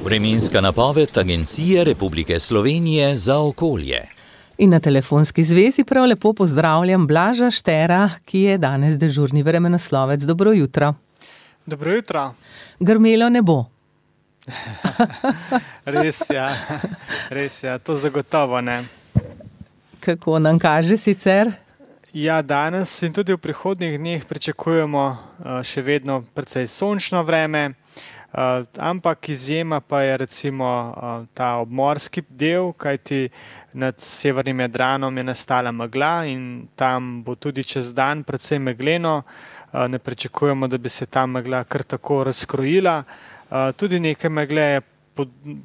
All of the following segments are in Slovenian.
Vremenska napoved Agencije Republike Slovenije za okolje. In na telefonski zvezi prav lepo pozdravljam Blaža Štera, ki je danes dežurni vremenoslovec. Dobro jutro. Dobro jutro. Grmelo ne bo. Res ja, to zagotovo ne. Kako nam kaže sicer? Ja, danes in tudi v prihodnjih dneh pričakujemo še vedno precej sončno vreme, ampak izjema pa je recimo ta obmorski del, kajti nad severnim Jadranom je nastala megla in tam bo tudi čez dan precej megleno. Ne pričakujemo, da bi se ta megla kar tako razkrojila. Tudi nekaj megle je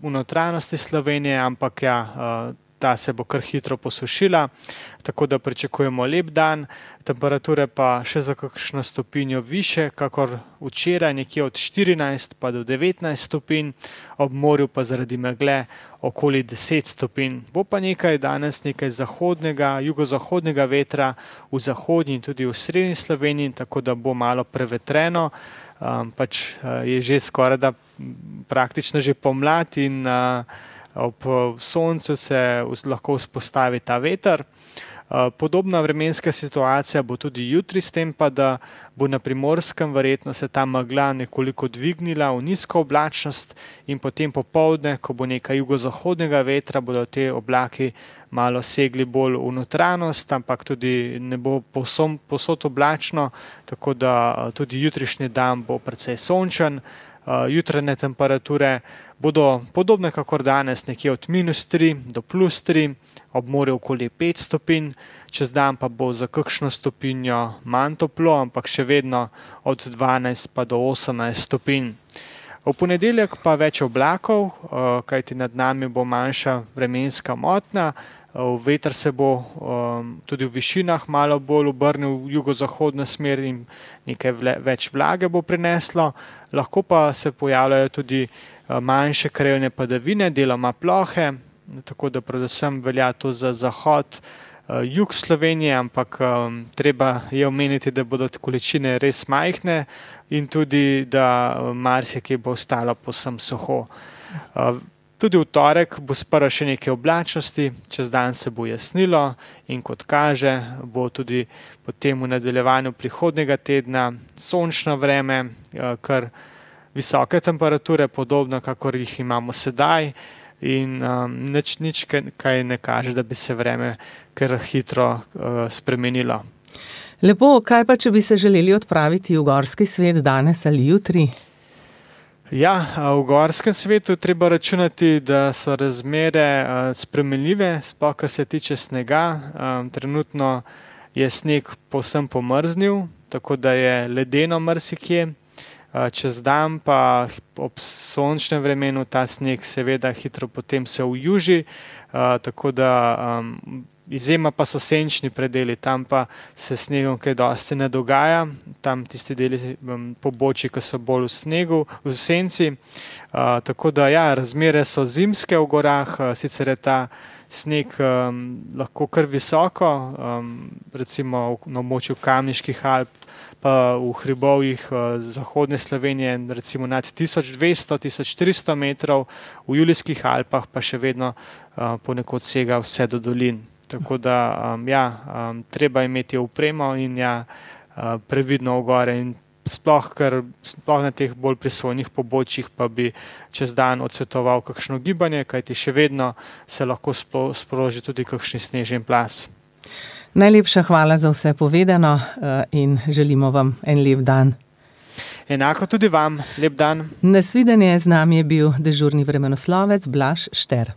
v notranjosti Slovenije, ampak ja, ta se bo kar hitro posušila, tako da pričakujemo lep dan. Temperature pa še za kakšno stopinjo više, kakor včeraj, nekje od 14 pa do 19 stopinj, ob morju pa zaradi megle okoli 10 stopinj. Bo pa danes nekaj zahodnega, jugozahodnega vetra v zahodnji in tudi v srednji Sloveniji, tako da bo malo prevetreno. Pač je že skoraj da praktično že pomlad in ob soncu se lahko vzpostavi ta veter. Podobna vremenska situacija bo tudi jutri, s tem pa, da bo na Primorskem verjetno se ta megla nekoliko dvignila v nizko oblačnost in potem popoldne, ko bo nekaj jugozahodnega vetra, bodo te oblaki malo segli bolj v notranjost, ampak tudi ne bo povsod oblačno, tako da tudi jutrišnji dan bo precej sončen. Jutranje temperature bodo podobne kakor danes, nekje od -3 do +3, ob morju okoli 5 stopinj, čez dan pa bo za kakšno stopinjo manj toplo, ampak še vedno od 12 pa do 18 stopinj. V ponedeljek pa več oblakov, kajti nad nami bo manjša vremenska motnja. Veter se bo tudi v višinah malo bolj obrnil v jugozahodno smer in nekaj več vlage bo prineslo. Lahko pa se pojavljajo tudi manjše krajevne padavine, deloma plohe, tako da predvsem velja to za zahod, jug Slovenije, ampak treba je omeniti, da bodo količine res majhne in tudi, da marsikaj bo ostalo povsem suho. Tudi v torek bo sprva še nekaj oblačnosti, čez dan se bo jasnilo in kot kaže, bo tudi potem v nadaljevanju prihodnjega tedna sončno vreme, kar visoke temperature, podobno kakor jih imamo sedaj in nič kaj ne kaže, da bi se vreme kar hitro spremenilo. Lepo, kaj pa, če bi se želeli odpraviti v gorski svet danes ali jutri? Ja, v gorskem svetu treba računati, da so razmere spremenljive, sploh kar se tiče snega. Trenutno je sneg povsem pomrznil, tako da je ledeno marsikje. Čez dan pa ob sončnem vremenu ta sneg seveda hitro potem se ujuži, tako da izjema pa so senčni predeli, tam pa se snegom kaj dosti ne dogaja, tam tisti deli pobočji, ki so bolj v snegu, v senci. Tako da ja, razmere so zimske v gorah, sicer je ta sneg lahko kar visoko, recimo na območju Kamniških Alp, pa v hribovjih zahodne Slovenije recimo nad 1200-1400 metrov, v Julijskih Alpah pa še vedno ponekod sega vse do dolin. Tako da treba imeti opremo in previdno v gore in sploh na teh bolj prisojnih pobočjih pa bi čez dan odsvetoval kakšno gibanje, kajti še vedno se lahko sproži tudi kakšni snežen plaz. Najlepša hvala za vse povedano in želimo vam en lep dan. Enako tudi vam, lep dan. Nasvidenje, z nami je bil dežurni vremenoslovec Blaž Šter.